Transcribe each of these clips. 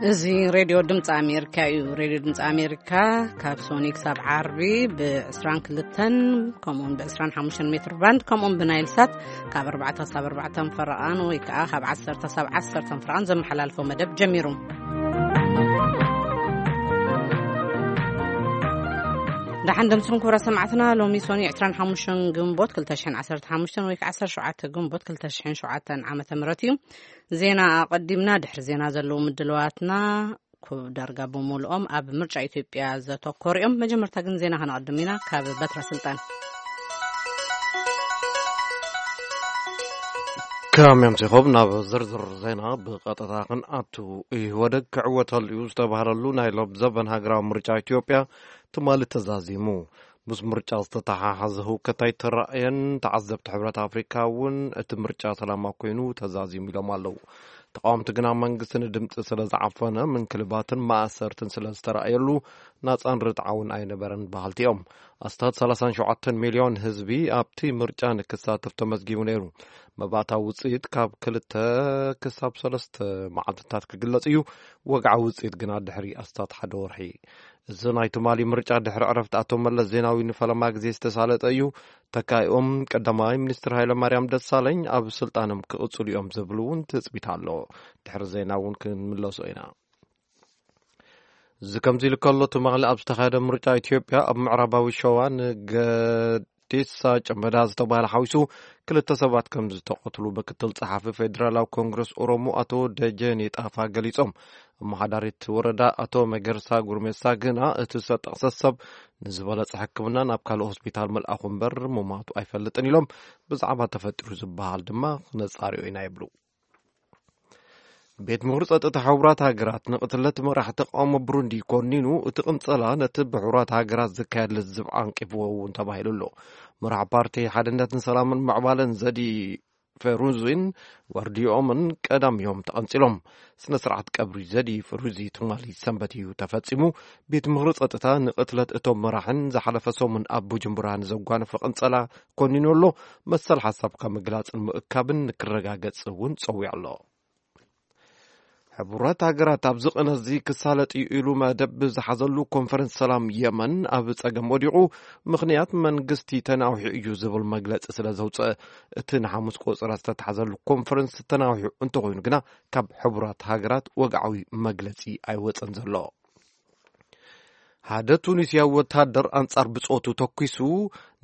እዚ ሬድዮ ድምፂ ኣሜሪካ እዩ። ሬድዮ ድምፂ ኣሜሪካ ካብ ሶኒ ክሳብ ዓርቢ ብ22 ከምኡውን ብ25 ሜትር ባንድ ከምኡውን ብናይል ሳት ካብ ኣርባዕተ ክሳብ ኣርባዕተ ፈረቓን ወይ ከዓ ካብ ዓሰርተ ክሳብ ዓሰርተ ፈረቓን ዘመሓላልፎ መደብ ጀሚሩ። ደሓን ደምስኩም ክቡራት ሰማዕትና፣ ሎሚ ሶኒ ዕስራን ሓሙሽተን ግንቦት ክልተ ሽሕን ዓሰርተ ሓሙሽተን ወይ ከዓ ዓሰርተ ሸውዓተ ግንቦት ክልተ ሽሕን ሸውዓተን ዓመተ ምህረት እዩ። ዜና ኣቐዲምና፣ ድሕሪ ዜና ዘለዉ ምድልዋትና ኩ-፣ ዳርጋ ብምሉኦም ኣብ ምርጫ ኢትዮጵያ ዘተኮሩ እዮም። መጀመርታ ግን ዜና ከነቐድም ኢና። ካብ በትረ ስልጣን። ከመይ ኣምሲኹም? ናብ ዝርዝር ዜና ብቐጥታ ክንኣቱ። ኢህወደግ ክዕወተሉ እዩ ዝተባህለሉ ናይ ሎብ ዘበን ሃገራዊ ምርጫ ኢትዮጵያ ትማሊ ተዛዚሙ። ምስ ምርጫ ዝተተሓሓዘ ህውከት ኣይተራእየን። ተዓዘብቲ ሕብረት ኣፍሪካ እውን እቲ ምርጫ ሰላማዊ ኮይኑ ተዛዚሙ ኢሎም ኣለዉ። ተቃወምቲ ግና መንግስቲ ንድምፂ ስለ ዝዓፈነ፣ ምንክልባትን ማእሰርትን ስለ ዝተራእየሉ ናፃን ርትዓውን ኣይነበረን በሃልቲ እዮም። ኣስታት ሰላሳን ሸውዓተን ሚልዮን ህዝቢ ኣብቲ ምርጫ ንክሳተፍ ተመዝጊቡ ነይሩ። መባእታዊ ውፅኢት ካብ ክልተ ክሳብ ሰለስተ መዓልትታት ክግለጽ እዩ። ወግዓዊ ውፅኢት ግና ድሕሪ ኣስታት ሓደ ወርሒ። እዚ ናይ ትማሊ ምርጫ ድሕሪ ዕረፍቲ ኣቶ መለስ ዜናዊ ንፈለማ ግዜ ዝተሳለጠ እዩ። ተካኢኦም ቀዳማይ ሚኒስትር ሃይለማርያም ደሳለኝ ኣብ ስልጣኖም ክቕጽሉ እዮም ዝብል እውን ትጽቢት ኣሎ። ድሕሪ ዜና እውን ክንምለሶ ኢና። እዚ ከምዚ ኢሉ ከሎ፣ ትማሊ ኣብ ዝተኻየደ ምርጫ ኢትዮጵያ ኣብ ምዕራባዊ ሸዋ ንገዲሳ ጨመዳ ዝተባህለ ሓዊሱ ክልተ ሰባት ከም ዝተቐትሉ ምክትል ጸሓፊ ፌዴራላዊ ኮንግረስ ኦሮሞ ኣቶ ደጀኔ ጣፋ ገሊጾም። ኣመሓዳሪት ወረዳ ኣቶ መገርሳ ጉርሜሳ ግና እቲ ዝተጠቕሰ ሰብ ንዝበለጸ ሕክምና ናብ ካልእ ሆስፒታል ምልኣኹ እምበር ምሟቱ ኣይፈልጥን ኢሎም። ብዛዕባ ተፈጢሩ ዝበሃል ድማ ክነጻርዮ ኢና ይብሉ። ቤት ምኽሪ ጸጥታ ሕቡራት ሃገራት ንቕትለት መራሒ ተቃውሞ ብሩንዲ ኮኒኑ፣ እቲ ቅንጸላ ነቲ ብሕቡራት ሃገራት ዝካየድ ልዝብ ዓንቂፍዎ እውን ተባሂሉ ኣሎ። መራሒ ፓርቲ ሓድነትን ሰላምን ምዕባለን ዘዲ ፈሩዚን ዋርዲዮምን ቀዳም እዮም ተቐንጺሎም። ስነ ስርዓት ቀብሪ ዘዲ ፈሩዚ ትማሊ ሰንበት እዩ ተፈጺሙ። ቤት ምኽሪ ጸጥታ ንቕትለት እቶም መራሕን ዝሓለፈ ሰሙን ኣብ ቡጁምቡራ ንዘጓነፈ ቅንጸላ ኮኒኑ ኣሎ። መሰል ሓሳብካ ምግላጽን ምእካብን ንክረጋገጽ እውን ጸዊዑ ኣሎ። ሕቡራት ሃገራት ኣብዚ ቅነ እዚ ክሳለጥ እዩ ኢሉ መደብ ዝሓዘሉ ኮንፈረንስ ሰላም የመን ኣብ ጸገም ወዲቑ፣ ምኽንያት መንግስቲ ተናዊሑ እዩ ዝብል መግለጺ ስለ ዘውጽአ፣ እቲ ንሓሙስ ቆጸራ ዝተታሕዘሉ ኮንፈረንስ ተናዊሑ እንተኾይኑ ግና ካብ ሕቡራት ሃገራት ወግዓዊ መግለጺ ኣይወጸን ዘሎ። ሓደ ቱኒስያዊ ወታደር ኣንጻር ብጾቱ ተኲሱ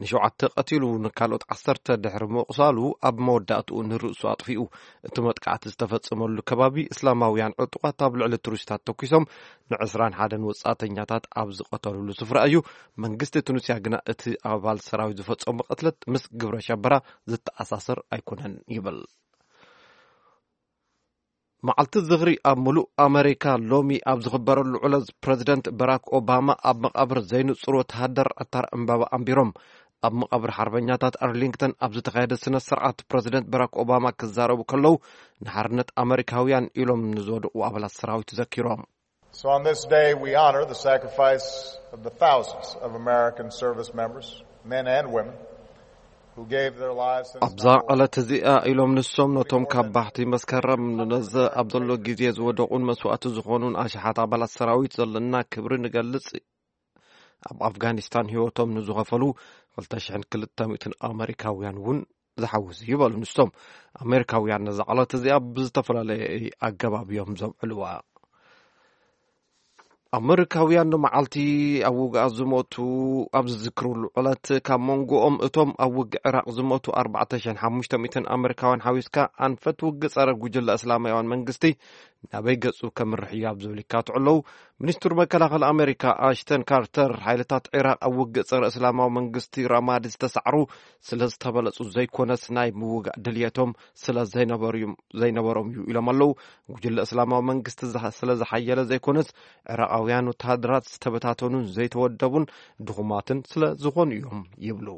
ንሸውዓተ ቀቲሉ፣ ንካልኦት ዓሰርተ ድሕሪ ምቑሳሉ ኣብ መወዳእትኡ ንርእሱ ኣጥፊኡ። እቲ መጥቃዕቲ ዝተፈጸመሉ ከባቢ እስላማውያን ዕጡቓት ኣብ ልዕሊ ቱሪስታት ተኲሶም ንዕስራን ሓደን ወጻእተኛታት ኣብ ዝቐተሉሉ ስፍራ እዩ። መንግስቲ ቱኒስያ ግና እቲ ኣባል ሰራዊት ዝፈጸሞ ቅትለት ምስ ግብረ ሸበራ ዝተኣሳሰር ኣይኮነን ይብል። መዓልቲ ዝኽሪ ኣብ ምሉእ ኣመሪካ ሎሚ ኣብ ዝኽበረሉ ዕለት፣ ፕረዚደንት በራክ ኦባማ ኣብ መቓብር ዘይንጹር ወተሃደር ዕታር ዕምባባ ኣንቢሮም። ኣብ መቓብር ሓርበኛታት ኣርሊንግተን ኣብ ዝተኻየደ ስነ ስርዓት፣ ፕረዚደንት በራክ ኦባማ ክዛረቡ ከለዉ፣ ንሓርነት ኣመሪካውያን ኢሎም ንዝወደቑ ኣባላት ሰራዊት ዘኪሮም። So on this day, we honor the sacrifice of the thousands of American service members, men and women, who gave their lives in this ኣብዛ ዕለት እዚኣ ኢሎም ንሶም ነቶም ካብ ባሕቲ መስከረም ነዚ ኣብ ዘሎ ግዜ ዝወደቑን መስዋእቲ ዝኾኑን ኣሽሓት ኣባላት ሰራዊት ዘለና ክብሪ ንገልጽ። ኣብ ኣፍጋኒስታን ህይወቶም ንዝኸፈሉ ክልተ ሽሕን ክልተ ሚእትን ኣመሪካውያን እውን ዝሓውስ እዩ በሉ። ንሶም ኣመሪካውያን ነዛ ዕለት እዚኣ ብዝተፈላለየ ኣገባብ እዮም ዘብዕልዋ። ኣመሪካውያን ንመዓልቲ ኣብ ውግኣት ዝሞቱ ኣብ ዝዝክሩሉ ዕለት፣ ካብ መንጎኦም እቶም ኣብ ውግእ ዕራቕ ዝሞቱ ኣርባዕተ ሽሕን ሓሙሽተ ሚእትን ኣመሪካውያን ሓዊስካ፣ ኣንፈት ውግእ ጸረ ጉጅለ እስላማውያን መንግስቲ ናበይ ገጹ ከምርሕ እዩ ኣብ ዝብል ይካትዑ ኣለዉ። ሚኒስትር መከላኸሊ ኣመሪካ ኣሽተን ካርተር፣ ሓይልታት ዒራቕ ኣብ ውግእ ጸረ እስላማዊ መንግስቲ ራማዲ ዝተሳዕሩ ስለ ዝተበለጹ ዘይኮነስ፣ ናይ ምውጋእ ድልየቶም ስለ ዘይነበሩ-፣ ዘይነበሮም እዩ ኢሎም ኣለዉ። ጉጅለ እስላማዊ መንግስቲ ዝሃ-፣ ስለ ዝሓየለ ዘይኮነስ፣ ዕራቓውያን ወተሃደራት ዝተበታተኑን ዘይተወደቡን ድኹማትን ስለ ዝኾኑ እዮም ይብሉ።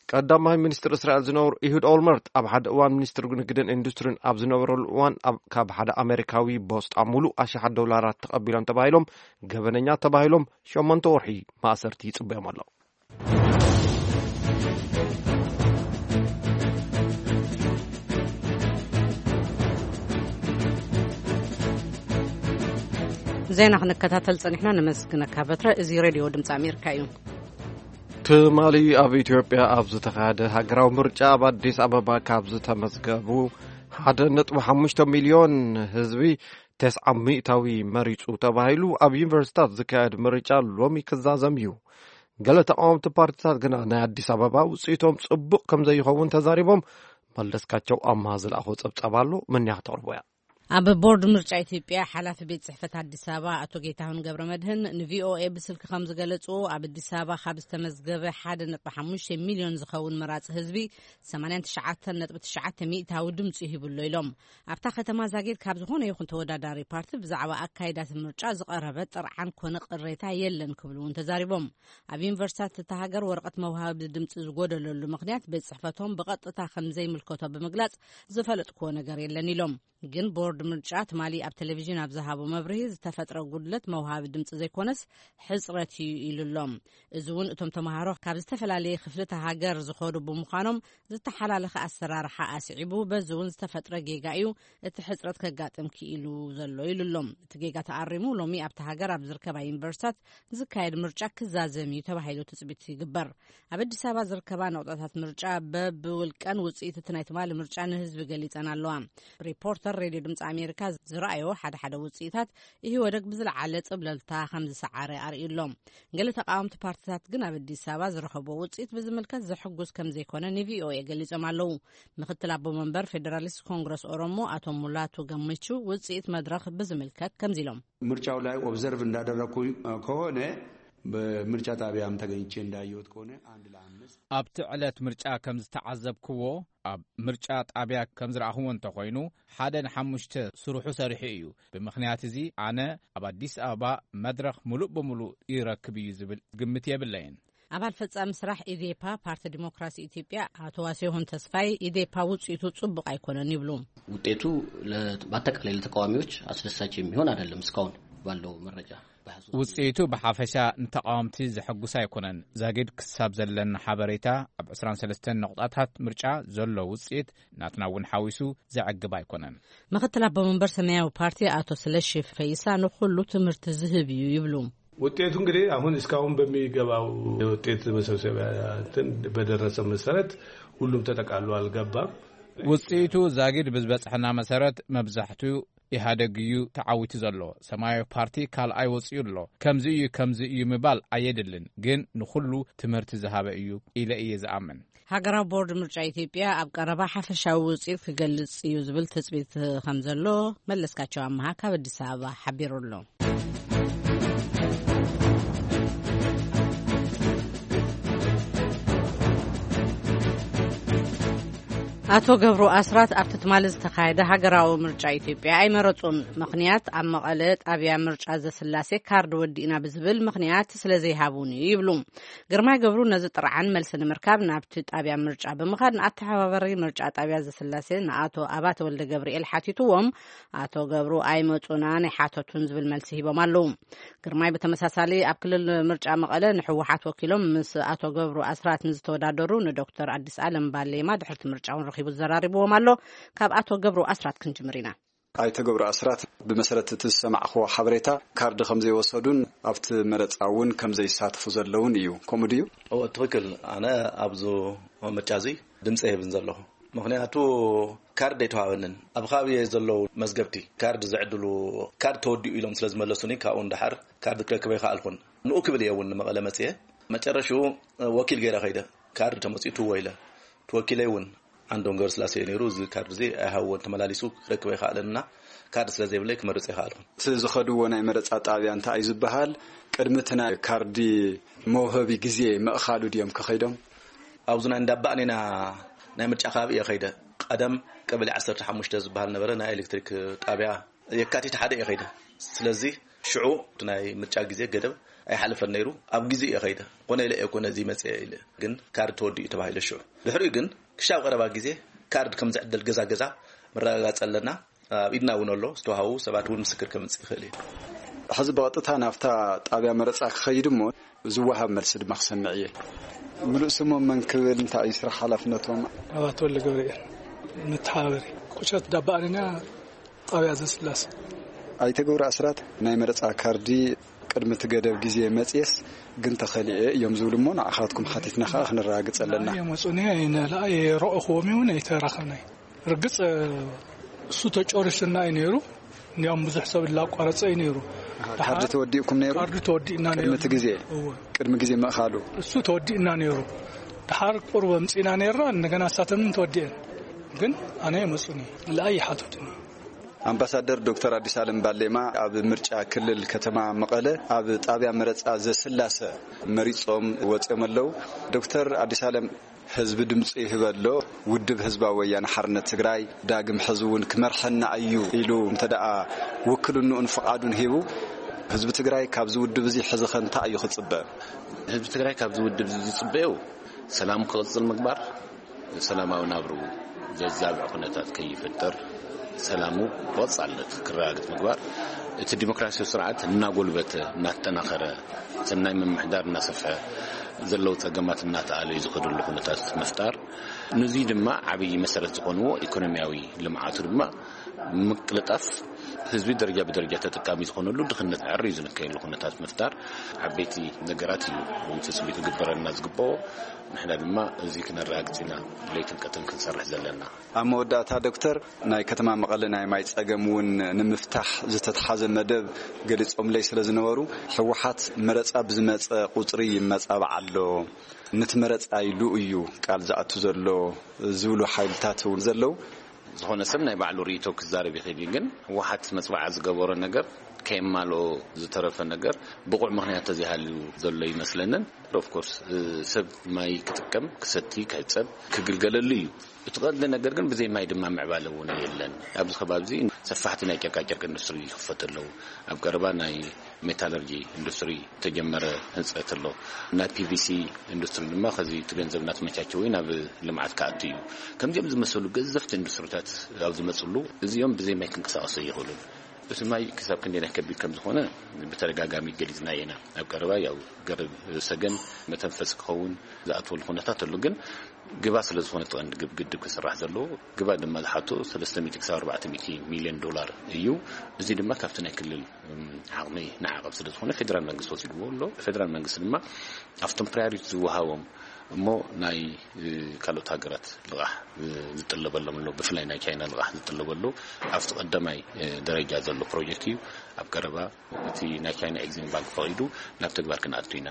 ቀዳማይ ሚኒስትር እስራኤል ዝነበሩ ኢሁድ ኦልመርት፣ ኣብ ሓደ እዋን ሚኒስትር ንግድን ኢንዱስትሪን ኣብ ዝነበረሉ እዋን፣ ኣብ፣ ካብ ሓደ ኣሜሪካዊ ቦስጣ ሙሉእ ኣሽሓት ዶላራት ተቐቢሎም ተባሂሎም ገበነኛ ተባሂሎም ሸሞንተ ወርሒ ማእሰርቲ ይጽበዮም ኣሎ። ዜና ክንከታተል ጸኒሕና፣ ነመስግነካ በትረ። እዚ ሬድዮ ድምጺ ኣሜሪካ እዩ። ትማሊ ኣብ ኢትዮጵያ ኣብ ዝተኻየደ ሃገራዊ ምርጫ ኣብ ኣዲስ ኣበባ ካብ ዝተመዝገቡ ሓደ ነጥቢ ሓሙሽተ ሚልዮን ህዝቢ ተስዓ ሚእታዊ መሪጹ ተባሂሉ። ኣብ ዩኒቨርሲታት ዝካየድ ምርጫ ሎሚ ክዛዘም እዩ። ገለ ተቃወምቲ ፓርቲታት ግና ናይ ኣዲስ ኣበባ ውጽኢቶም ጽቡቕ ከም ዘይኸውን ተዛሪቦም። መለስካቸው ኣምሃ ዝለኣኾ ጸብጻብ ኣሎ፣ መንያ ክተቕርቦ እያ። ኣብ ቦርድ ምርጫ ኢትዮጵያ ሓላፊ ቤት ጽሕፈት ኣዲስ ኣበባ ኣቶ ጌታሁን ገብረ መድህን ንቪኦኤ ብስልኪ ከም ዝገለጹ፣ ኣብ ኣዲስ ኣበባ ካብ ዝተመዝገበ ሓደ ነጥቢ ሓሙሽተ ሚልዮን ዝኸውን መራጺ ህዝቢ ሰማንያን ትሽዓተን ነጥቢ ትሽዓተ ሚእታዊ ድምጺ ሂቡሎ ኢሎም። ኣብታ ከተማ ዛጊድ ካብ ዝኾነ ይኹን ተወዳዳሪ ፓርቲ ብዛዕባ ኣካይዳት ምርጫ ዝቐረበ ጥርዓን ኮነ ቅሬታ የለን ክብሉ እውን ተዛሪቦም። ኣብ ዩኒቨርሲታት እታ ሃገር ወረቐት መውሃቢ ድምጺ ዝጎደለሉ ምኽንያት ቤት ጽሕፈቶም ብቐጥታ ከም ዘይምልከቶ ብምግላጽ ዝፈለጥክዎ ነገር የለን ኢሎም። ግን ቦርድ ምርጫ ትማሊ ኣብ ቴሌቪዥን ኣብ ዝሃቦ መብርሂ ዝተፈጥረ ጉድለት መውሃቢ ድምጺ ዘይኮነስ ሕጽረት እዩ ኢሉ ኣሎ። እዚ እውን እቶም ተምሃሮ ካብ ዝተፈላለየ ክፍልታት ሃገር ዝኸዱ ብምዃኖም ዝተሓላለኸ ኣሰራርሓ ኣስዒቡ፣ በዚ እውን ዝተፈጥረ ጌጋ እዩ እቲ ሕጽረት ከጋጥም ክኢሉ ዘሎ ኢሉ ኣሎ። እቲ ጌጋ ተኣሪሙ ሎሚ ኣብቲ ሃገር ኣብ ዝርከባ ዩኒቨርሲታት ዝካየድ ምርጫ ክዛዘም እዩ ተባሂሉ ትጽቢት ይግበር። ኣብ ኣዲስ ኣበባ ዝርከባ ነቑጣታት ምርጫ በብውልቀን ውጽኢት እቲ ናይ ትማሊ ምርጫ ንህዝቢ ገሊጸን ኣለዋ። ሪፖርተር ሬድዮ ድምፂ ኣሜሪካ ዝረኣዮ ሓደ ሓደ ውፅኢታት ኢህወደግ ብዝለዓለ ፅብለልታ ከም ዝሰዓረ ኣርእዩ ኣሎ። ገለ ተቃወምቲ ፓርቲታት ግን ኣብ ኣዲስ ኣበባ ዝረኸብዎ ውፅኢት ብዝምልከት ዘሕጉስ ከም ዘይኮነ ንቪኦኤ ገሊጾም ኣለዉ። ምክትል ኣቦ መንበር ፌዴራሊስት ኮንግረስ ኦሮሞ ኣቶ ሙላቱ ገመቹ ውፅኢት መድረኽ ብዝምልከት ከምዚ ኢሎም። ምርጫው ላይ ኦብዘርቭ እንዳደረግኩ ከሆነ፣ በምርጫ ጣቢያም ተገኝቼ እንዳየሁት ከሆነ፣ አንድ ለአምስት ኣብቲ ዕለት ምርጫ ከም ዝተዓዘብክዎ፣ ኣብ ምርጫ ጣብያ ከም ዝረኣኽዎ እንተኾይኑ፣ ሓደ ንሓሙሽተ ስርሑ ሰሪሑ እዩ። ብምኽንያት እዚ ኣነ ኣብ ኣዲስ ኣበባ መድረኽ ምሉእ ብምሉእ ይረክብ እዩ ዝብል ግምት የብለይን። ኣባል ፈጻሚ ስራሕ ኢዴፓ፣ ፓርቲ ዲሞክራሲ ኢትዮጵያ፣ ኣቶ ዋሴሁን ተስፋይ፣ ኢዴፓ ውጽኢቱ ጽቡቕ ኣይኮነን ይብሉ። ውጤቱ ለ-፣ በአጠቃላይ ለተቃዋሚዎች አስደሳች የሚሆን አይደለም እስካሁን ባለው መረጃ። ውጽኢቱ ብሓፈሻ ንተቃወምቲ ዘሐጉስ ኣይኮነን። ዛጊድ ክሳብ ዘለና ሓበሬታ፣ ኣብ ዕስራን ሰለስተን ነቑጣታት ምርጫ ዘሎ ውጽኢት ናትና እውን ሓዊሱ ዘዕግብ ኣይኮነን። ምክትል ኣቦ መንበር ሰማያዊ ፓርቲ ኣቶ ስለሺ ፈይሳ ንኹሉ ትምህርቲ ዝህብ እዩ ይብሉ። ውጤቱ እንግዲህ አሁን እስካሁን በሚገባው የውጤት መሰብሰቢያ እንትን በደረሰ መሰረት ሁሉም ተጠቃሎ አልገባም። ውጽኢቱ ዛጊድ ብዝበጽሐና መሰረት መብዛሕትኡ ኢህኣደግ እዩ ተዓዊቱ ዘሎ። ሰማያዊ ፓርቲ ካልኣይ ወጺኡ ኣሎ። ከምዚ እዩ፣ ከምዚ እዩ ምባል ኣየድልን፣ ግን ንኹሉ ትምህርቲ ዝሃበ እዩ ኢለ እየ ዝኣምን። ሃገራዊ ቦርድ ምርጫ ኢትዮጵያ ኣብ ቀረባ ሓፈሻዊ ውጽኢት ክገልጽ እዩ ዝብል ትጽቢት ከም ዘሎ መለስካቸው ኣመሃ ካብ ኣዲስ ኣበባ ሓቢሩ ኣሎ። ኣቶ ገብሩ ኣስራት ኣብቲ ትማሊ ዝተኻየደ ሃገራዊ ምርጫ ኢትዮጵያ ኣይመረጹን። ምኽንያት ኣብ መቐለ ጣብያ ምርጫ ዘስላሴ ካርድ ወዲእና ብዝብል ምኽንያት ስለ ዘይሃቡን እዩ ይብሉ። ግርማይ ገብሩ ነዚ ጥርዓን መልሲ ንምርካብ ናብቲ ጣብያ ምርጫ ብምኻድ ንኣተሓባባሪ ምርጫ ጣብያ ዘስላሴ ንኣቶ ኣባተ ወልደ ገብርኤል ሓቲትዎም፣ ኣቶ ገብሩ ኣይመጹናን ኣይሓተቱን ዝብል መልሲ ሂቦም ኣለዉ። ግርማይ ብተመሳሳሊ ኣብ ክልል ምርጫ መቐለ ንሕወሓት ወኪሎም ምስ ኣቶ ገብሩ ኣስራት ንዝተወዳደሩ ንዶክተር ኣዲስ ኣለም ባሌማ ድሕርቲ ምርጫ እውን ረኺቡ ዘራሪብዎም ኣሎ። ካብ ኣቶ ገብሩ ኣስራት ክንጅምር ኢና። ኣይተ ገብሩ ኣስራት፣ ብመሰረት እቲ ዝሰማዕኽዎ ሓበሬታ ካርድ ከም ዘይወሰዱን ኣብቲ መረፃ እውን ከም ዘይሳተፉ ዘለውን እዩ። ከምኡ ድዩ? እወ፣ ትኽክል። ኣነ ኣብዚ ምርጫ እዚ ድምፂ የህብን ዘለኹ። ምኽንያቱ ካርድ ኣይተዋሃበንን። ኣብ ከባቢ ዘለዉ መዝገብቲ ካርድ ዝዕድሉ፣ ካርድ ተወዲኡ ኢሎም ስለ ዝመለሱኒ፣ ካብኡ ንደሓር ካርድ ክረክብ ኣይከኣልኩን። ንኡ ክብል እየ እውን ንመቐለ መፅየ። መጨረሽኡ ወኪል ገይረ ከይደ። ካርድ ተመፂኡ ትዎ ኢለ። እቲ ወኪለይ እውን ዓንዶም ገብረስላሴ ነይሩ። እዚ ካርድ እዚ ኣይሃብዎን፣ ተመላሊሱ ክረክብ ኣይከኣለን እና ካርድ ስለ ዘይብለይ ክመርፅ ኣይከኣልኩን። እቲ ዝኸድዎ ናይ መረፃ ጣብያ እንታይ እዩ ዝበሃል? ቅድሚ እቲ ናይ ካርዲ መውሃቢ ግዜ ምእኻሉ ድዮም ከኸይዶም? ኣብዚ ናይ እንዳባእኔና ናይ ምርጫ ከባቢ እየ ከይደ። ቀደም ቀበሌ ዓሰርተ ሓሙሽተ ዝበሃል ነበረ፣ ናይ ኤሌክትሪክ ጣብያ የካቲት ሓደ እየ ከይደ። ስለዚ ሽዑ እቲ ናይ ምርጫ ግዜ ገደብ ኣይሓለፈን ነይሩ፣ ኣብ ግዜ እየ ከይደ። ኮነ ኢለ እየ ኮነ እዚ መፅአ ኢለ፣ ግን ካርድ ተወዲኡ ተባሂለ ሽዑ። ድሕሪኡ ግን ክሻብ ቀረባ ግዜ ካርድ ከም ዝዕደል ገዛ ገዛ መረጋጋፂ ኣለና። ኣብ ኢድና እውን ኣሎ፣ ዝተዋሃቡ ሰባት እውን ምስክር ከምፅእ ይኽእል እዩ። ሕዚ ብቐጥታ ናብታ ጣብያ መረፃ ክኸይድ እሞ ዝወሃብ መልሲ ድማ ክሰምዕ እየ። ምሉእ ስሞም መን ክብል፣ እንታይ እዩ ስራሕ ሓላፍነቶም? ኣባተ ወልደ ገብርኤል፣ መተሓባበሪ ቁሸት ዳባ ኣረና ጣብያ ዘስላሴ። ኣይተ ገብሩ ኣስራት፣ ናይ መረፃ ካርዲ ቅድሚ እቲ ገደብ ግዜ መፅየስ ግን ተኸሊኤ እዮም ዝብሉ እሞ፣ ንዓኻትኩም ሓቲትና ከዓ ክንረጋግፅ ኣለና። የመፁኒ፣ ኣይረእኽዎም እውን ኣይተራኸብናይ። ርግፅ እሱ ተጨሪሱና እዩ ነይሩ። እንዲያውም ብዙሕ ሰብ ላቋረፀ እዩ ነይሩ። ካርዲ ተወዲእኩም ነይሩ? ካርዲ ተወዲእና ነይሩ። ቅድሚ እቲ ግዜ? እወ። ቅድሚ ግዜ ምእኻሉ? እሱ ተወዲእና ነይሩ። ድሓር ቁርብ ኣምፂና ነይርና፣ እንደገና እሳተምን ተወዲአን። ግን ኣነ የመፁኒ፣ ለኣይ ይሓቱትኒ። ኣምባሳደር ዶክተር ኣዲስ ኣለም ባሌማ ኣብ ምርጫ ክልል ከተማ መቐለ ኣብ ጣብያ መረፃ ዘስላሰ መሪፆም ወፂኦም ኣለዉ። ዶክተር ኣዲስ ኣለም፣ ህዝቢ ድምፂ ይህበ ኣሎ፣ ውድብ ህዝባዊ ወያነ ሓርነት ትግራይ ዳግም ሕዚ እውን ክመርሐና እዩ ኢሉ እንተ ደኣ ውክልንኡን ፍቓዱን ሂቡ፣ ህዝቢ ትግራይ ካብዚ ውድብ እዚ ሕዚ ኸ እንታይ እዩ ክፅበ? ህዝቢ ትግራይ ካብዚ ውድብ እዚ ዝፅበዮ ሰላም ክቕፅል ምግባር፣ ሰላማዊ ናብርኡ ዘዛብዕ ኩነታት ከይፍጠር፣ ሰላሙ ብቐጻልነት ክረጋግጽ ምግባር፣ እቲ ዲሞክራሲያዊ ስርዓት እናጎልበተ፣ እናተጠናኸረ፣ ሰናይ ምምሕዳር እናሰፍሐ፣ ዘለዉ ጸገማት እናተኣለዩ ዝኸድሉ ኩነታት ምፍጣር፣ ንዙይ ድማ ዓብዪ መሰረት ዝኾንዎ ኢኮኖሚያዊ ልምዓቱ ድማ ምቅልጣፍ፣ ህዝቢ ደረጃ ብደረጃ ተጠቃሚ ዝኾነሉ፣ ድኽነት ዕርዩ ዝንከየሉ ኩነታት ምፍጣር ዓበይቲ ነገራት እዩ ትጽቢት ክግበረልና ዝግብኦ። ንሕና ድማ እዚ ክነረጋግጽ ኢና ለይትን ቀትርን ክንሰርሕ ዘለና። ኣብ መወዳእታ ዶክተር፣ ናይ ከተማ መቐለ ናይ ማይ ጸገም እውን ንምፍታሕ ዝተትሓዘ መደብ ገሊጾምለይ ስለ ዝነበሩ፣ ህወሓት መረጻ ብዝመጸ ቁጽሪ ይመጻባዕ ኣሎ፣ ነቲ መረጻ ኢሉ እዩ ቃል ዝኣቱ ዘሎ ዝብሉ ሓይልታት እውን ዘለዉ። ዝኾነ ሰብ ናይ ባዕሉ ርእይቶ ክዛረብ ይኽእል እዩ፣ ግን ህወሓት መጽባዓ ዝገበሮ ነገር ከየማልኦ ዝተረፈ ነገር ብቑዕ ምኽንያት ተዘይሃልዩ ዘሎ ይመስለንን። ኦፍኮርስ ሰብ ማይ ክጥቀም፣ ክሰቲ፣ ክሕጸብ፣ ክግልገለሉ እዩ። እቲ ቀንዲ ነገር ግን ብዘይ ማይ ድማ ምዕባለ እውን የለን። ኣብዚ ከባቢ እዚ ሰፋሕቲ ናይ ጨርቃጨርቂ ኢንዱስትሪ ይኽፈቱ ኣለዉ። ኣብ ቀረባ ናይ ሜታለርጂ ኢንዱስትሪ ተጀመረ ህንፀት ኣሎ። ናይ ፒቪሲ ኢንዱስትሪ ድማ ከዚ እቲ ገንዘብ እናተመቻቸወ ናብ ልምዓት ክኣቱ እዩ። ከምዚኦም ዝመሰሉ ገዘፍቲ ኢንዱስትሪታት ኣብ ዝመፅሉ እዚኦም ብዘይ ማይ ክንቀሳቐሱ ኣይኽእሉን። እቲ ማይ ክሳብ ክንደይ ናይ ከቢድ ከም ዝኾነ ብተደጋጋሚ ገሊፅና ኢና። ኣብ ቀረባ ያው ገረብ ሰገን መተንፈሲ ክኸውን ዝኣትወሉ ኩነታት ኣሎ። ግን ግባ ስለ ዝኾነ እቲ ቀንዲ ግብ-፣ ግድብ ክስራሕ ዘለዎ ግባ ድማ ዝሓቶ ሰለስተ ሚእቲ ክሳብ ኣርባዕተ ሚእቲ ሚልዮን ዶላር እዩ። እዚ ድማ ካብቲ ናይ ክልል፣ እም፣ ዓቕሚ ንዓቐብ ስለ ዝኾነ ፌደራል መንግስቲ ወሲድዎ ኣሎ። ፌደራል መንግስቲ ድማ ኣብቶም ፕራዮሪቲ ዝወሃቦም እሞ ናይ፣ እ፣ ካልኦት ሃገራት ልቓሕ፣ እ፣ ዝጥለበሎም ኣሎ። ብፍላይ ናይ ቻይና ልቓሕ ዝጥለበሉ ኣብቲ ቀዳማይ፣ እ፣ ደረጃ ዘሎ ፕሮጀክት እዩ። ኣብ ቀረባ እቲ ናይ ቻይና ኤግዚም ባንክ ፈቒዱ ናብ ተግባር ክንኣቱ ኢና።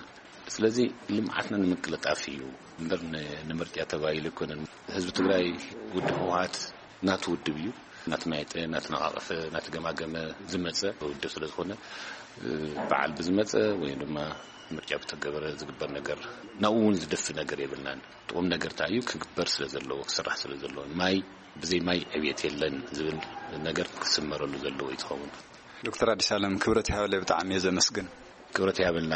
ስለዚ ልምዓትና ንምቅልጣፍ እዩ እምበር ን-፣ ንምርጫ ተባሂሉ ኣይኮነን። ህዝቢ ትግራይ፣ ውድብ ህወሓት ናቱ ውድብ እዩ። ናተማየጠ፣ ናተነቓቐፈ፣ ናተገማገመ ዝመፀ ውድብ ስለ ዝኾነ፣ እ፣ በዓል ብዝመፀ ወይ ድማ ምርጫ ብተገበረ ዝግበር ነገር ናብኡ እውን ዝደፊ ነገር የብልናን። ጥቑም ነገር እንታይ እዩ ክግበር ስለ ዘለዎ፣ ክስራሕ ስለ ዘለዎ፣ ማይ፣ ብዘይ ማይ ዕብየት የለን ዝብል ነገር ክስመረሉ ዘለዎ እዩ ዝኸውን። ዶክተር ኣዲስ ኣለም፣ ክብረት ይሃበለይ፣ ብጣዕሚ እየ ዘመስግን። ክብረት ይሃበልና።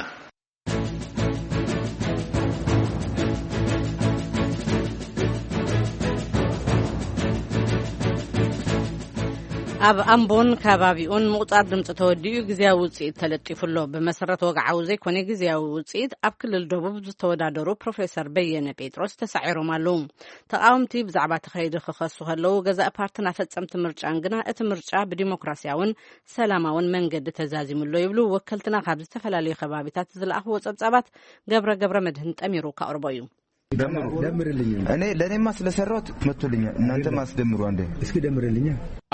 ኣብ ኣምቦን ከባቢኡን ምቑጻር ድምጺ ተወዲኡ ግዝያዊ ውጽኢት ተለጢፉ ኣሎ። ብመሰረት ወግዓዊ ዘይኮነ ግዝያዊ ውጽኢት ኣብ ክልል ደቡብ ዝተወዳደሩ ፕሮፌሰር በየነ ጴጥሮስ ተሳዒሮም ኣለዉ። ተቓወምቲ ብዛዕባ ተኻይዱ ክኸሱ ከለዉ፣ ገዛኢ ፓርትን ኣፈጸምቲ ምርጫን ግና እቲ ምርጫ ብዲሞክራሲያውን ሰላማውን መንገዲ ተዛዚሙ ኣሎ ይብሉ ወከልትና ካብ ዝተፈላለዩ ከባቢታት ዝለኣኽዎ ጸብጻባት ገብረ ገብረ መድህን ጠሚሩ ካቕርቦ እዩ። ደምሩ። ደምርልኝ። እኔ ለእኔማ ስለሰራሁት መቶልኛል። እናንተም አስደምሩ አንዴ። እስኪ ደምርልኛ።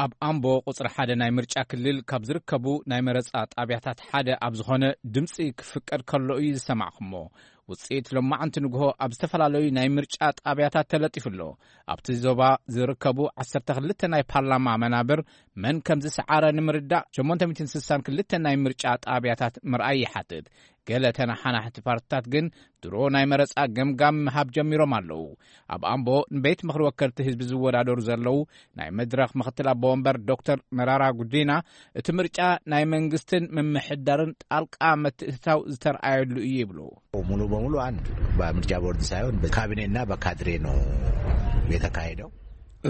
ኣብ ኣምቦ ቁጽሪ ሓደ ናይ ምርጫ ክልል ካብ ዝርከቡ ናይ መረጻ ጣብያታት ሓደ ኣብ ዝኾነ ድምጺ ክፍቀድ ከሎ እዩ ዝሰማዕኩሞ። ውጽኢት ሎማዕንቲ ንግሆ ኣብ ዝተፈላለዩ ናይ ምርጫ ጣብያታት ተለጢፉ ኣሎ። ኣብቲ ዞባ ዝርከቡ ዓሰርተ ክልተ ናይ ፓርላማ መናብር መን ከም ዝሰዓረ ንምርዳእ ሸሞንተ ሚእትን ስሳን ክልተ ናይ ምርጫ ጣብያታት ምርኣይ ይሓትት። ገለ ተነሓናሕቲ ፓርትታት ግን ድሮ ናይ መረጻ ገምጋም ምሃብ ጀሚሮም ኣለዉ። ኣብ ኣምቦ ንቤት ምኽሪ ወከልቲ ህዝቢ ዝወዳደሩ ዘለዉ ናይ መድረኽ ምኽትል ኣቦ ወንበር ዶክተር መራራ ጉዲና፣ እቲ ምርጫ ናይ መንግስትን ምምሕዳርን ጣልቃ ምትእትታው ዝተርኣየሉ እዩ ይብሉ። ሙሉ በሙሉ አንድ በምርጫ ቦርድ ሳይሆን በካቢኔና በካድሬ ነው የተካሄደው።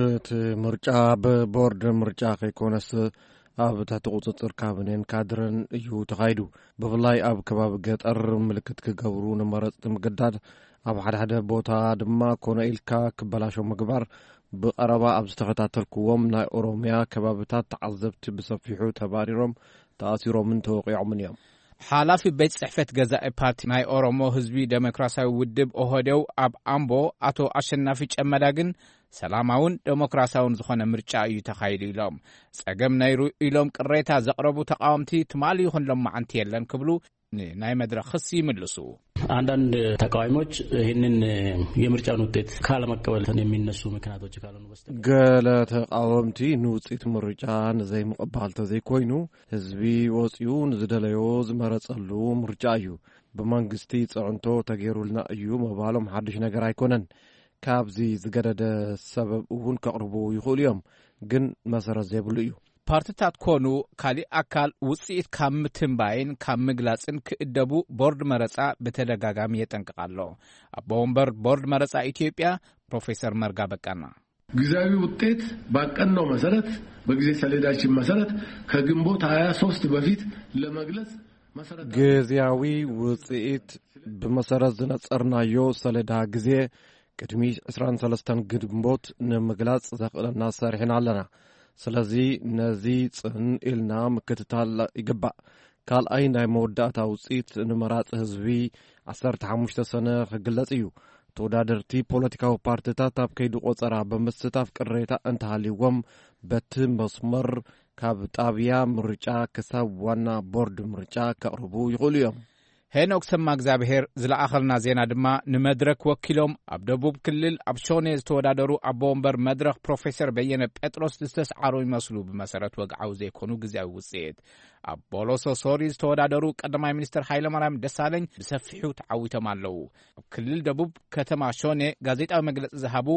እቲ ምርጫ ብቦርድ ምርጫ ከይኮነስ ኣብ ትሕቲ ቁጽጽር ካቢኔን ካድረን እዩ ተኻይዱ። ብፍላይ ኣብ ከባቢ ገጠር ምልክት ክገብሩ ንመረጽቲ ምግዳድ፣ ኣብ ሓደ ሓደ ቦታ ድማ ኮነ ኢልካ ክበላሾ ምግባር፣ ብቐረባ ኣብ ዝተኸታተልክዎም ናይ ኦሮምያ ከባብታት ተዓዘብቲ ብሰፊሑ ተባሪሮም፣ ተኣሲሮምን ተወቒዖምን እዮም። ሓላፊ ቤት ጽሕፈት ገዛኢ ፓርቲ ናይ ኦሮሞ ህዝቢ ዴሞክራሲያዊ ውድብ ኦህዴው ኣብ ኣምቦ ኣቶ ኣሸናፊ ጨመዳ ግን ሰላማውን ዴሞክራሲያውን ዝኾነ ምርጫ እዩ ተኻይዱ ኢሎም። ጸገም ነይሩ ኢሎም ቅሬታ ዘቕረቡ ተቃወምቲ ትማሊ ይኹን ሎማዓንቲ የለን ክብሉ ንናይ መድረኽ ክሲ ይምልሱ። አንዳንድ ተቃዋሚዎች ይህንን የምርጫውን ውጤት ካለመቀበል የሚነሱ ምክንያቶች ካልሆኑ በስተቀር ገለ ተቃወምቲ ንውጽኢት ምርጫ ንዘይምቕባል ተዘይኮይኑ፣ ህዝቢ ወጺኡ ንዝደለዮ ዝመረጸሉ ምርጫ እዩ። ብመንግስቲ ጽዕንቶ ተገይሩልና እዩ ምባሎም ሓድሽ ነገር ኣይኮነን። ካብዚ ዝገደደ ሰበብ እውን ከቕርቡ ይኽእሉ እዮም፣ ግን መሰረት ዘይብሉ እዩ። ፓርትታት ኮኑ ካሊእ ኣካል ውጽኢት ካብ ምትንባይን ካብ ምግላጽን ክእደቡ ቦርድ መረጻ ብተደጋጋሚ የጠንቅቕ ኣሎ። ኣቦ ወንበር ቦርድ መረጻ ኢትዮጵያ ፕሮፌሰር መርጋ በቃና። ጊዜያዊ ውጤት ባቀናው መሰረት፣ በጊዜ ሰሌዳችን መሰረት ከግንቦት ሃያ ሶስት በፊት ለመግለጽ መሰረት ግዜያዊ ውጽኢት ብመሰረት ዝነጸርናዮ ሰሌዳ ግዜ ቅድሚ ዕስራን ሰለስተን ግንቦት ንምግላጽ ዘኽእለና ሰሪሕና ኣለና። ስለዚ ነዚ ጽን ኢልና ምክትታል ይግባእ። ካልኣይ ናይ መወዳእታ ውጽኢት ንመራጺ ህዝቢ ዓሰርተ ሓሙሽተ ሰነ ክግለጽ እዩ። ተወዳደርቲ ፖለቲካዊ ፓርትታት ኣብ ከይዲ ቆጸራ ብምስታፍ ቅሬታ እንተሃልይዎም በቲ መስመር ካብ ጣብያ ምርጫ ክሳብ ዋና ቦርድ ምርጫ ከቕርቡ ይኽእሉ እዮም። ሄኖክ ሰማ እግዚኣብሔር ዝለኣኸልና ዜና ድማ ንመድረክ ወኪሎም ኣብ ደቡብ ክልል ኣብ ሾኔ ዝተወዳደሩ ኣቦ ወንበር መድረኽ ፕሮፌሰር በየነ ጴጥሮስ ዝተስዓሩ ይመስሉ። ብመሰረት ወግዓዊ ዘይኮኑ ግዜያዊ ውጽኢት ኣብ ቦሎሶ ሶሪ ዝተወዳደሩ ቀዳማይ ሚኒስትር ሃይለማርያም ደሳለኝ ብሰፊሑ ተዓዊቶም ኣለዉ። ኣብ ክልል ደቡብ ከተማ ሾኔ ጋዜጣዊ መግለጺ ዝሃቡ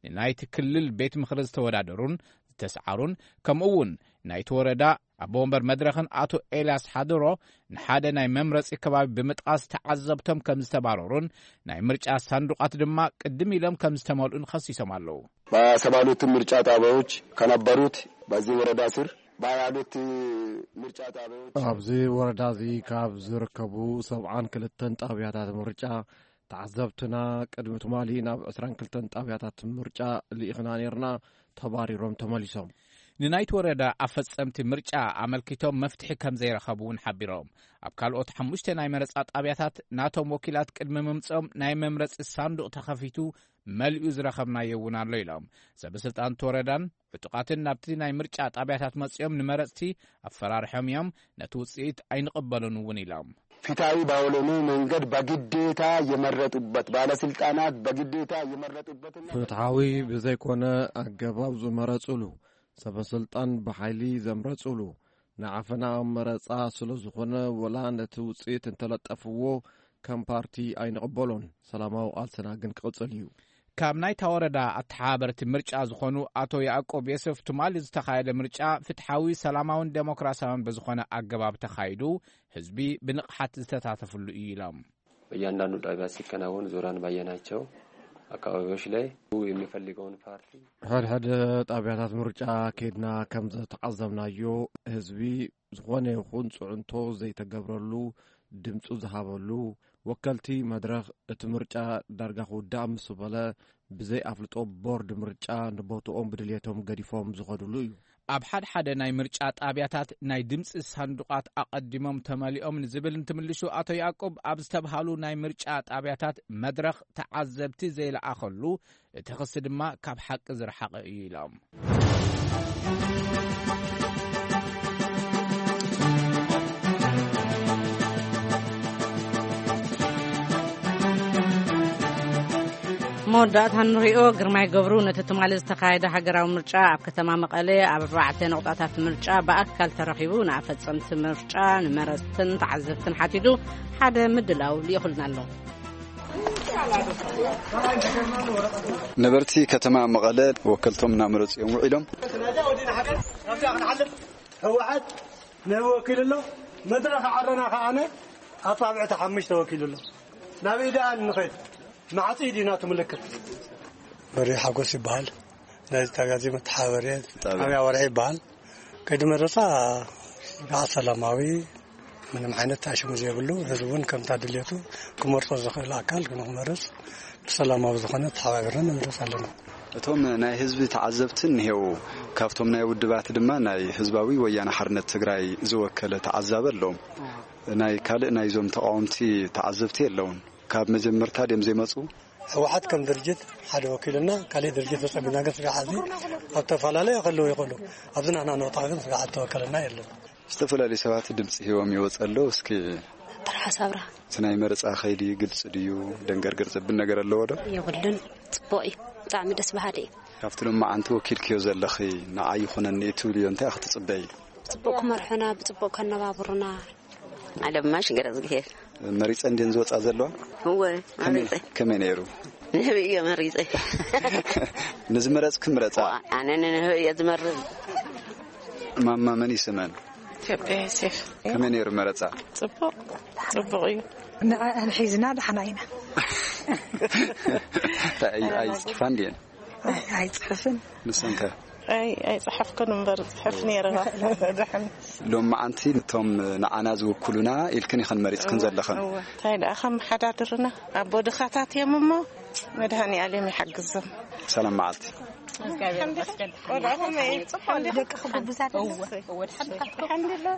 ንናይቲ ክልል ቤት ምኽሪ ዝተወዳደሩን ዝተስዓሩን ከምኡ እውን ናይቲ ወረዳ ኣቦ ወንበር መድረኽን ኣቶ ኤልያስ ሓድሮ ንሓደ ናይ መምረጺ ከባቢ ብምጥቓስ ተዓዘብቶም ከም ዝተባረሩን ናይ ምርጫ ሳንዱቓት ድማ ቅድም ኢሎም ከም ዝተመልኡን ከሲሶም ኣለዉ። በሰባ ሁለቱ ምርጫ ጣቢያዎች ከነበሩት በዚህ ወረዳ ስር ባሉት ምርጫ ጣቢያዎች ኣብዚ ወረዳ እዚ ካብ ዝርከቡ ሰብዓን ክልተን ጣብያታት ምርጫ ተዓዘብትና ቅድሚ ትማሊ ናብ ዕስራን ክልተን ጣብያታት ምርጫ ልኢኽና ነርና፣ ተባሪሮም ተመሊሶም። ንናይቲ ወረዳ ኣፈጸምቲ ምርጫ ኣመልኪቶም መፍትሒ ከም ዘይረኸቡ እውን ሓቢሮም። ኣብ ካልኦት ሓሙሽተ ናይ መረጻ ጣብያታት ናቶም ወኪላት ቅድሚ ምምጽኦም ናይ መምረጺ ሳንዱቕ ተኸፊቱ መሊኡ ዝረኸብናዮ እውን ኣሎ ኢሎም። ሰበስልጣን እቲ ወረዳን ዕጡቓትን ናብቲ ናይ ምርጫ ጣብያታት መጺኦም ንመረጽቲ ኣፈራርሖም እዮም፣ ነቲ ውጽኢት ኣይንቕበሉን እውን ኢሎም። ፍትሐዊ ባልሆነ መንገድ በግዴታ የመረጡበት፣ ባለስልጣናት በግዴታ የመረጡበትና ፍትሐዊ ብዘይኮነ ኣገባብ ዝመረጹሉ፣ ሰበስልጣን ብሓይሊ ዘምረጹሉ፣ ንዓፈና መረጻ ስለ ዝኾነ፣ ወላ ነቲ ውጽኢት እንተለጠፍዎ ከም ፓርቲ ኣይንቕበሎን። ሰላማዊ ቃልስና ግን ክቕጽል እዩ። ካብ ናይታ ወረዳ ኣተሓባበርቲ ምርጫ ዝኾኑ ኣቶ ያዕቆብ የሱፍ፣ ትማሊ ዝተኻየደ ምርጫ ፍትሓዊ፣ ሰላማውን ዴሞክራሲያውን ብዝኾነ ኣገባብ ተኻይዱ፣ ህዝቢ ብንቕሓት ዝተሳተፍሉ እዩ ኢሎም። በእያንዳንዱ ጣቢያ ሲከናወን ዞራን ባየናቸው አካባቢዎች ላይ የሚፈልገውን ፓርቲ ሕድሕድ ጣብያታት ምርጫ ከይድና ከም ዝተዓዘብናዮ፣ ህዝቢ ዝኾነ ይኹን ጽዕንቶ ዘይተገብረሉ፣ ድምፁ ዝሃበሉ፣ ወከልቲ መድረኽ እቲ ምርጫ ዳርጋ ክውዳእ ምስ በለ፣ ብዘይ ኣፍልጦ ቦርድ ምርጫ ንቦትኦም ብድልየቶም ገዲፎም ዝኸድሉ እዩ። ኣብ ሓደ ሓደ ናይ ምርጫ ጣብያታት ናይ ድምፂ ሳንዱቓት ኣቐዲሞም ተመሊኦም ንዝብል እንትምልሹ፣ ኣቶ ያዕቆብ ኣብ ዝተብሃሉ ናይ ምርጫ ጣብያታት መድረኽ ተዓዘብቲ ዘይለኣኸሉ፣ እቲ ክሲ ድማ ካብ ሓቂ ዝረሓቐ እዩ ኢሎም። መወዳእታ ንሪኦ። ግርማይ ገብሩ ነቲ ትማሊ ዝተኻየደ ሃገራዊ ምርጫ ኣብ ከተማ መቐለ ኣብ ኣርባዕተ ነቑጣታት ምርጫ ብኣካል ተረኺቡ ንኣፈጸምቲ ምርጫ፣ ንመረጽትን ተዓዘብትን ሓቲቱ ሓደ ምድላው ልኢኹልና ኣሎ። ነበርቲ ከተማ መቐለ ወከልቶም እናመረጹ እዮም ውዒሎም። ህወሓት ንህቢ ወኪሉ ኣሎ። መድረኽ ዓረና ከዓነ ኣጻብዕቲ ሓሙሽተ ወኪሉ ኣሎ። ናበይ ደኣ ንኸይድ? ማዕጺ ዲና ትምልክት። በሪ ሓጎስ ይበሃል። ናይዚ ጣብያ እዚ መተሓባበሪ ጣብያ። ጣብያ ወርሒ ይበሃል። ከይዲ መረፃ ከዓ ሰላማዊ፣ ምንም ዓይነት ታሽሙ ዘይብሉ፣ ህዝቢ እውን ከምታ ድሌቱ ክመርፆ ዝኽእል ኣካል ንክመርፅ ብሰላማዊ ዝኾነ ተሓባቢርና ንምረፅ ኣለና። እቶም ናይ ህዝቢ ተዓዘብቲ እኒሄው፣ ካብቶም ናይ ውድባት ድማ ናይ ህዝባዊ ወያነ ሓርነት ትግራይ ዝወከለ ተዓዛቢ ኣለዎም። ናይ ካልእ ናይዞም ተቃወምቲ ተዓዘብቲ የለውን። ካብ መጀመርታ ድዮም ዘይመፁ? ህወሓት ከም ድርጅት ሓደ ወኪልና፣ ካልእ ድርጅት ተፀቢና ግን ስጋሓት ኣብ ተፈላለዩ ከለዉ ይኽእሉ። ኣብዚ ናህና ንወጣ ግን ስጋሓት ተወከለና የለን። ዝተፈላለዩ ሰባት ድምፂ ሂቦም ይወፅ ኣለዉ። እስኪ ጥራሕ ሳብራ እቲ ናይ መረፃ ከይዲ ግልፂ ድዩ? ደንገርገር ዘብል ነገር ኣለዎ ዶ? የብሉን። ፅቡቕ እዩ። ብጣዕሚ ደስ በሃሊ እዩ። ካብቲ ሎማዓንቲ ወኪልክዮ ዘለኺ ንዓይ ይኹነኒ እትብልዮ እንታይ ክትፅበይ? ብፅቡቕ ክመርሑና፣ ብፅቡቕ ከነባብሩና። ኣለማሽ ገረዝግሄር። መሪፀን ድየን ዝወፃ ዘለዋ? እወ፣ ከመይ መሪፀ። ከመይ ነይሩ? ንህቢ እየ መሪፀ። ንዝመረፅክ ምረፃ። ኣነ ንህቢ እየ ዝመርፅ። ማማ መን ይስመን? ኢትዮጵያ ዮሴፍ። ከመይ ነይሩ መረፃ? ፅቡቕ፣ ፅቡቕ እዩ። ንዕአን ሒዝና ደሓና ኢና። እንታይ ኣይ- ኣይፅሕፋን ድየን? ኣይ- ኣይፅሕፍን። ንሰንከ? ኣይ ኣይፅሓፍኩን እምበር ፅሕፍ ነይረ። ደሓን። ሎም መዓንቲ እቶም ንዓና ዝውክሉና ኢልክን ኢኸን መሪፅክን ዘለኽን። እወ። እንታይ ደኣ ከመሓዳድርና ኣቦ ድኻታት እዮም እሞ መድሃኒ ኣለም ይሓግዞም። ሰላም መዓልቲ። ቆልዑ ከመይ እዩ? ደቂ ክጉብዛት። ኣልሓምዱሊላህ።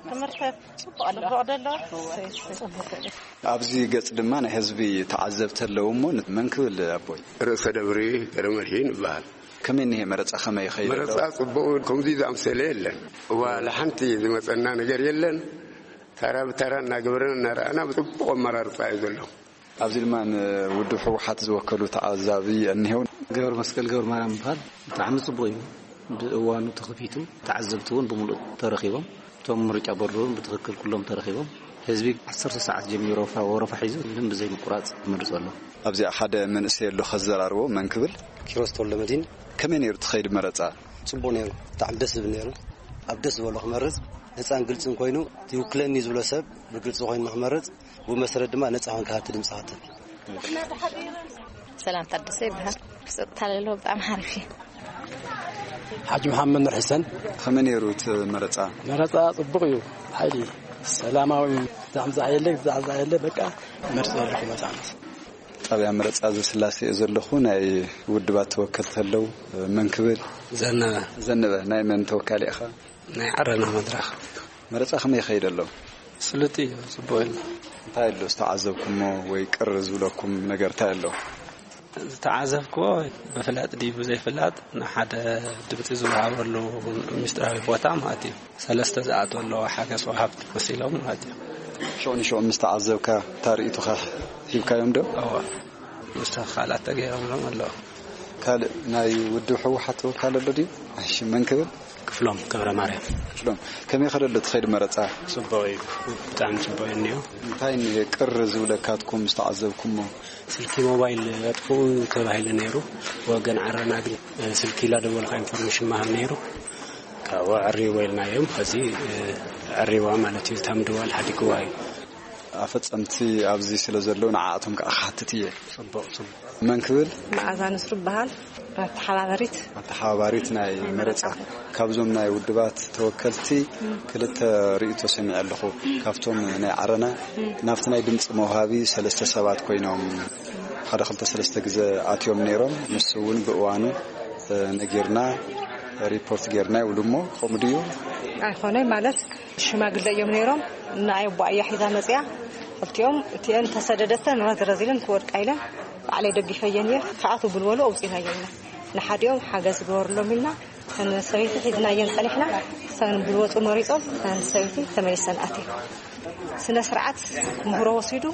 ትምህርቲ ጽቡቕ ኣሎ። ጽቡቕ ደሎ። ኣብዚ ገጽ ድማ ናይ ህዝቢ ተዓዘብቲ ኣለዉ እሞ መን ክብል ኣቦይ? ርእሰ ደብሪ ገረመድሂን ይበሃል። ከመይ እኒሄ መረጻ ከመይ ይኸይድ ኣሎ? መረጻ ጽቡቕ ከምዚ ዝኣምሰለ የለን። ዋላ ሓንቲ ዝመጸና ነገር የለን። ተራ ብተራ እናገበረን እናረኣና ብጽቡቕ ኣመራርጻ እዩ ዘሎ። ኣብዚ ድማ ንውድብ ህወሓት ዝወከሉ ተዓዛቢ እኒሄው። ገብረ መስቀል ገብረ ማርያም ይበሃል። ብጣዕሚ ጽቡቕ እዩ። ብእዋኑ ተኸፊቱ ተዓዘብቲ እውን ብምሉእ ተረኺቦም። እቶም ምርጫ ቦርድ እውን ብትኽክል ኩሎም ተረኺቦም። ህዝቢ ዓሰርተ ሰዓት ጀሚሩ ወረፋ፣ ወረፋ ሒዙ ምንም ብዘይ ምቁራጽ ይመርጽ ኣሎ። ኣብዚኣ ሓደ መንእሰይ ኣሎ ከዘራርቦ መን ክብል? ኪሮስ ተወልደመድህን። ከመይ ነይሩ ትኸይድ መረጻ? ጽቡቕ ነይሩ። ብጣዕሚ ደስ ዝብል ነይሩ። ኣብ ደስ ዝበሎ ክመርጽ ነጻን ግልጽን ኮይኑ፣ እቲ ይውክለኒ ዝብሎ ሰብ ብግልጺ ኮይኑ ንክመርጽ፣ ብኡ መሰረት ድማ ነጻ ኮንካ ሃብቲ ድምጽ ሃተት። ሰላም ታደሰ ይበሃል። ብጸጥታ ለሎ ብጣዕሚ ሓሪፍ እዩ። ሓጂ መሓመድ ኑር ሕሰን። ከመይ ነይሩ እቲ መረጻ? መረጻ ጽቡቕ እዩ። ሓይሊ ሰላማዊ ዛዕምዛዕ የለ፣ ዛዕዛዕ የለ፣ በቃ መርጽ ዘለኹ መጻ። ጣብያ መረጻ እዚ ስላሴ እየ ዘለኹ። ናይ ውድባት ተወከልቲ ኣለዉ። መን ክብል? ዘነበ። ዘነበ፣ ናይ መን ተወካሊ ኢኻ? ናይ ዓረና መድረኽ። መረጻ ከመይ ይኸይድ ኣሎ? ስሉጥ እዩ፣ ጽቡቕ እዩ። እንታይ ኣሎ ዝተዓዘብኩሞ ወይ ቅር ዝብለኩም ነገር እንታይ ኣሎ? ዝተዓዘብክዎ ብፍላጥ ድዩ ብዘይፍላጥ ንሓደ ድምፂ ዝወሃበሉ ምስጢራዊ ቦታ ማለት እዩ። ሰለስተ ዝኣትወ ኣለዎ ሓገዝ ወሃብቲ መሲሎም ማለት እዩ። ሽዑ ንሽዑ ምስ ተዓዘብካ እታ ርእይቶኻ ሂብካዮም ዶ? እወ። ምስ ተኻላት ተገይሮምሎም ኣለዉ። ካልእ ናይ ውድብ ህወሓት ተወካሊ ኣሎ ድዩ? እሺ፣ መን ክብል? ክፍሎም ገብረ ማርያም። ክፍሎም፣ ከመይ ከደሎ ትኸይድ መረጻ? ጽቡቕ እዩ፣ ብጣዕሚ ጽቡቕ እዩ እኒኦ። እንታይ እኒሄ ቅር ዝብለካትኩም ዝተዓዘብኩሞ? ስልኪ ሞባይል ኣጥፍኡ ተባሂሉ ነይሩ። ወገን ዓረና ግን፣ እ፣ ስልኪ ኢላ ደወልካ ኢንፎርሜሽን መሃብ ነይሩ። ካብኡ ዕሪዎ ኢልናዮም። ሕዚ፣ እ፣ ዕሪዋ ማለት እዩ። እታ ምድዋል ሓዲግዋ እዩ። ኣፈጸምቲ ኣብዚ ስለ ዘለዉ ንዓኣቶም ከዓ ክሓትት እየ። ጽቡቕ፣ ጽቡቕ። መን ክብል? መዓዛ ንስሩ ይበሃል። ኣተሓባበሪት። ኣተሓባባሪት ናይ መረጻ። ካብዞም ናይ ውድባት ተወከልቲ ክልተ ርእይቶ ሰሚዐ ኣለኹ። ካብቶም ናይ ዓረና ናብቲ ናይ ድምፂ መውሃቢ ሰለስተ ሰባት ኮይኖም ሓደ ክልተ ሰለስተ ግዜ ኣትዮም ነይሮም። ንሱ እውን ብእዋኑ፣ እ፣ ነጊርና ሪፖርት ጌርና ይብሉ እሞ ከምኡ ድዩ? ኣይኮነይ ማለት ሽማግለ እዮም ነይሮም። ንኣይ ኣቦኣ እያ ሒዛ መፅያ። ክልቲኦም እቲአን ተሰደደተ ንረት ረዚለን ክወድቃ ኢለን ባዕለይ ደጊፈየን እየ። ክኣትው ብልበሉ ኣውፂናየን ኢና። ንሓዲኦም ሓገዝ ግበርሎም ኢልና እተን ሰበይቲ ሒዝናየን ፀኒሕና። እተን ብልወፁ መሪፆም እተን ሰበይቲ ተመሊሰን ኣትየን። ስነ ስርዓት ምህሮ ወሲዱ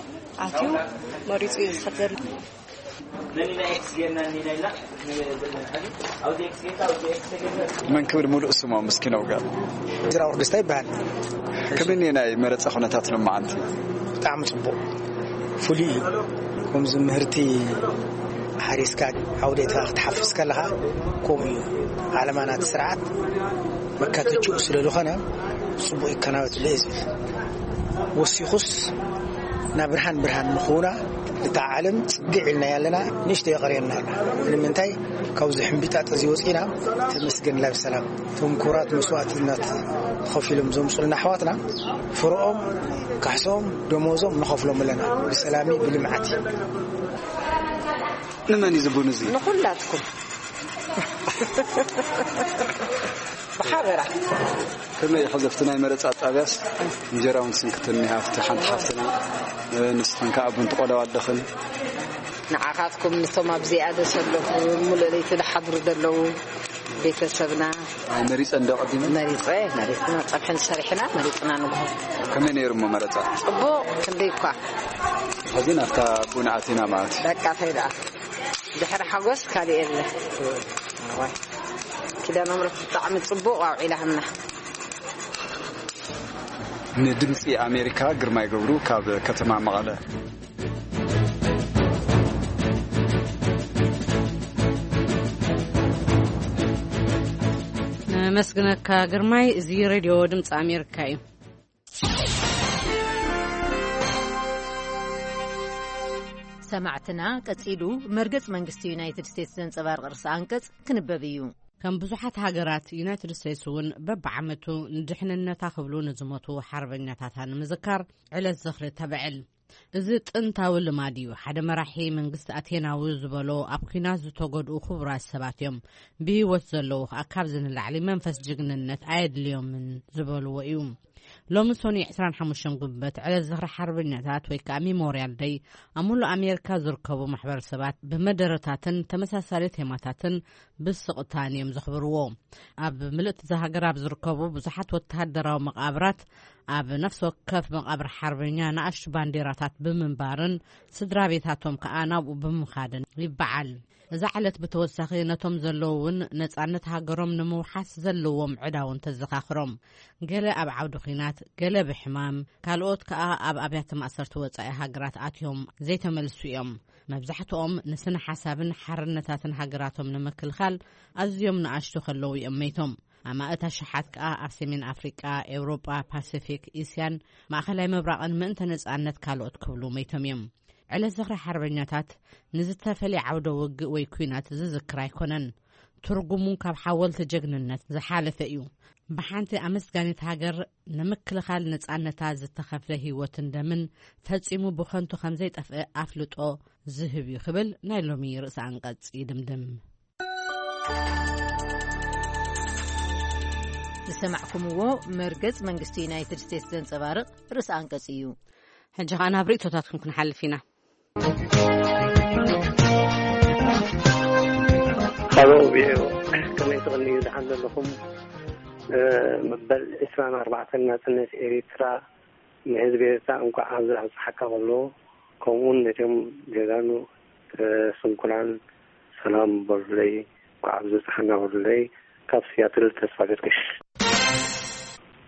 ኣትዩ መሪፁ እዩ ዝኸድ ዘሎ። መን ክብል ሙሉእ ስሞም እስኪ ነውጋ። ጅራው ደስታ ይበሃል። ከመይ ናይ መረፃ ኩነታት ሎማዓንቲ? ብጣዕሚ ጽቡቕ፣ ፍሉይ እዩ። ከምዚ ምህርቲ ሓሪስካ ዓውዴትካ ክትሓፍስ ከለኻ ከምኡ እዩ። ዓለማ ናቲ ስርዓት መካተችኡ ስለ ዝኾነ ጽቡቕ ይከናወትለ እዩ ዝብል። ወሲኹስ ናብ ብርሃን ብርሃን ንኽውና እታ ዓለም ጽግዕ ኢልና ያለና ንእሽተይ የቐርየና ኣላ። ንምንታይ ካብዚ ሕምቢጣጥ እዚ ወጺና ተመስገን ላብ ሰላም። እቶም ክቡራት መስዋእትነት ከፊሎም ዘምጹልና ኣሕዋትና ፍርኦም፣ ካሕሶም፣ ደሞዞም ንኸፍሎም ኣለና። ብሰላሚ ብልምዓት። ንመን እዩ ዝቡን እዚ? ንኹላትኩም። ብሓበራ። ከመይ ኢኺ ዘፍቲ ናይ መረፃ ጣብያስ? እንጀራ እውን ስንክትኒ ሃፍቲ ሓንቲ ሓፍትና፣ ንስኽን ከዓ ቡን ትቆለዋ ኣለኽን። ንዓኻትኩም፣ ንቶም ኣብዚኣ ደሰለኹ፣ ሙሉእ ለይቲ ዝሓድሩ ዘለዉ ቤተሰብና። ኣይ፣ መሪፀ እንዶ ቀዲመ? መሪፀ፣ መሪፅና ፀብሕን ሰሪሕና፣ መሪፅና ንግሆ። ከመይ ነይሩ እሞ መረፃ? ፅቡቕ፣ ክንደይ እኳ። ሕዚ ናብታ ቡን ኣቲና ማለት እዩ። በቃ፣ ተይ ደኣ። ድሕሪ ሓጎስ ካልእ የለ። እዋይ። ኪዳነ ምሕረት ብጣዕሚ ጽቡቕ ኣውዒላ ሃምና። ንድምፂ ኣሜሪካ ግርማይ ገብሩ ካብ ከተማ መቐለ። ነመስግነካ ግርማይ። እዚ ሬድዮ ድምፂ ኣሜሪካ እዩ። ሰማዕትና፣ ቀጺሉ መርገጽ መንግስቲ ዩናይትድ ስቴትስ ዘንጸባርቕ ርእሰ ኣንቀጽ ክንበብ እዩ። ከም ብዙሓት ሃገራት፣ ዩናይትድ ስቴትስ እውን በብዓመቱ ንድሕንነታ ክብሉ ንዝሞቱ ሓርበኛታታ ንምዝካር ዕለት ዝኽሪ ተብዕል። እዚ ጥንታዊ ልማድ እዩ። ሓደ መራሒ መንግስቲ ኣቴናዊ ዝበሎ፣ ኣብ ኲናት ዝተጎድኡ ክቡራት ሰባት እዮም፣ ብህይወት ዘለዉ ከኣ ካብዚ ንላዕሊ መንፈስ ጅግንነት ኣየድልዮምን ዝበልዎ እዩ። ሎሚ ሰኑይ ዕስራን ሓሙሽተን ጉንበት ዕለት ዝኽሪ ሓርበኛታት ወይ ከኣ ሚሞርያል ደይ ኣብ ሙሉእ ኣሜሪካ ዝርከቡ ማሕበረሰባት ብመደረታትን ተመሳሳሊ ቴማታትን ብስቕታን እዮም ዘኽብርዎ። ኣብ ምልእቲ እዛ ሃገር ኣብ ዝርከቡ ብዙሓት ወተሃደራዊ መቓብራት ኣብ ነፍሲ ወከፍ መቓብር ሓርበኛ ንኣሽቱ ባንዴራታት ብምንባርን ስድራ ቤታቶም ከኣ ናብኡ ብምኻድን ይበዓል። እዛ ዕለት ብተወሳኺ ነቶም ዘለዉ እውን ነጻነት ሃገሮም ንምውሓስ ዘለዎም ዕዳ እውን ተዘኻኽሮም። ገለ ኣብ ዓውዲ ኲናት፣ ገለ ብሕማም፣ ካልኦት ከኣ ኣብ ኣብያተ ማእሰርቲ ወጻኢ ሃገራት ኣትዮም ዘይተመልሱ እዮም። መብዛሕትኦም ንስነ ሓሳብን ሓርነታትን ሃገራቶም ንምክልኻል ኣዝዮም ንኣሽቱ ከለዉ እዮም መይቶም። ኣማእት ኣሽሓት ከኣ ኣብ ሰሜን ኣፍሪቃ፣ ኤውሮጳ፣ ፓሲፊክ፣ እስያን ማእከላይ ምብራቕን ምእንተ ነጻነት ካልኦት ክብሉ መይቶም እዮም። ዕለት ዝኽሪ ሓርበኛታት ንዝተፈልየ ዓውደ ውግእ ወይ ኲናት ዝዝክር ኣይኮነን። ትርጉሙ ካብ ሓወልቲ ጀግንነት ዝሓለፈ እዩ። ብሓንቲ ኣመስጋኒት ሃገር ንምክልኻል ነጻነታ ዝተኸፍለ ህይወትን ደምን ፈጺሙ ብኸንቱ ከም ዘይጠፍእ ኣፍልጦ ዝህብ እዩ ክብል ናይ ሎሚ ርእሰ ኣንቀጽ ይድምድም። ዝሰማዕኩምዎ መርገጽ መንግስቲ ዩናይትድ ስቴትስ ዘንጸባርቕ ርእሰ ኣንቀጽ እዩ። ሕጂ ኸኣ ናብ ርእይቶታትኩም ክንሓልፍ ኢና። ሃሎ ቪኦኤ፣ ከመይ ትቕንዩ? ደሓን ዘለኹም? እ፣ መበል ዕስራን ኣርባዕተን ናጽነት ኤሪትራ ንህዝቢ ኤርትራ እንኳዕ ኣብዚ ኣብጽሓካ ከሎ፣ ከምኡውን ነቶም ጀጋኑ፣ እ፣ ስንኩላን ሰላም በሉለይ፣ እንኳዕ ኣብዚ ኣብጽሓና በሉለይ። ካብ ሲያትል ተስፋ ገርግሽ።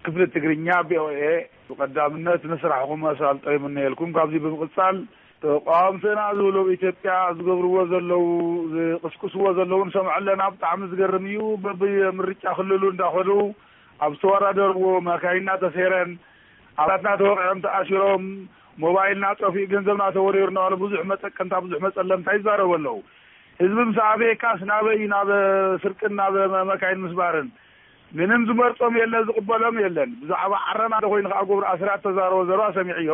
ክፍሊ ትግርኛ ቪኦኤ፣ ብቐዳምነት ንስራሕኹም ኣሳልጦ ይምነየልኩም። ካብዚ ብምቕጻል፣ ተቃወምትና ዝብሉ ኣብ ኢትዮጵያ ዝገብርዎ ዘለዉ፣ ዝቕስቅስዎ ዘለዉ ንሰምዖ ኣለና። ብጣዕሚ ዝገርም እዩ። በብምርጫ ክልሉ እንዳኸዱ ኣብ ዝተወዳደርዎ ማካይና ተሰይረን፣ ኣባላትና ተወቒዖም ተኣሲሮም፣ ሞባይልና ጠፊኡ፣ ገንዘብና ተወሪሩ እናበሉ ብዙሕ መጠቀምታ፣ ብዙሕ መጸለምታ ይዛረቡ ኣለዉ። ህዝቢ ምስ ኣበየካስ ናበይ እዩ? ናብ ስርቅን ናብ መካይን ምስባርን። ምንም ዝመርጾም የለን፣ ዝቕበሎም የለን። ብዛዕባ ዓረና እንተኾይኑ ከኣ ገብሩ ኣስራት ተዛረቦ ዘረባ ሰሚዕዮ።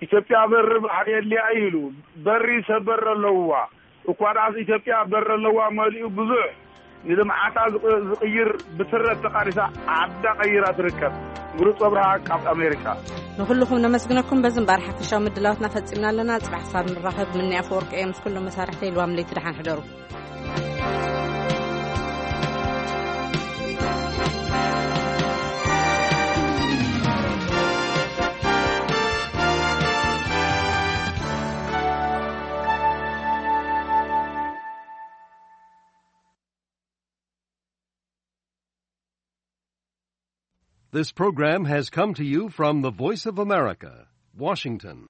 ኢትዮጵያ በሪ ባሕሪ የድልያ እዩ ኢሉ። በሪ ሰብ በሪ ኣለዋ። እኳ ደኣስ ኢትዮጵያ በሪ ኣለዋ፣ መሊኡ ብዙሕ ንልምዓታ ዝቕ-፣ ዝቕይር ብትረት ተቓሊሳ ዓዳ ቀይራ ትርከብ። ምሩፅ ኣብርሃ ካብ ኣሜሪካ። ንኹልኹም ነመስግነኩም። በዚ እምበኣር ሓፈሻዊ ምድላዋትና ፈጺምና ኣለና። ጽባሕ ክሳብ ንራኸብ፣ ምኒ ኣፈወርቂ እየ ምስ ኩሎም መሳርሕተይ። ልዋም ለይቲ ደሓን ሕደሩ። This program has come to you from the Voice of America, Washington.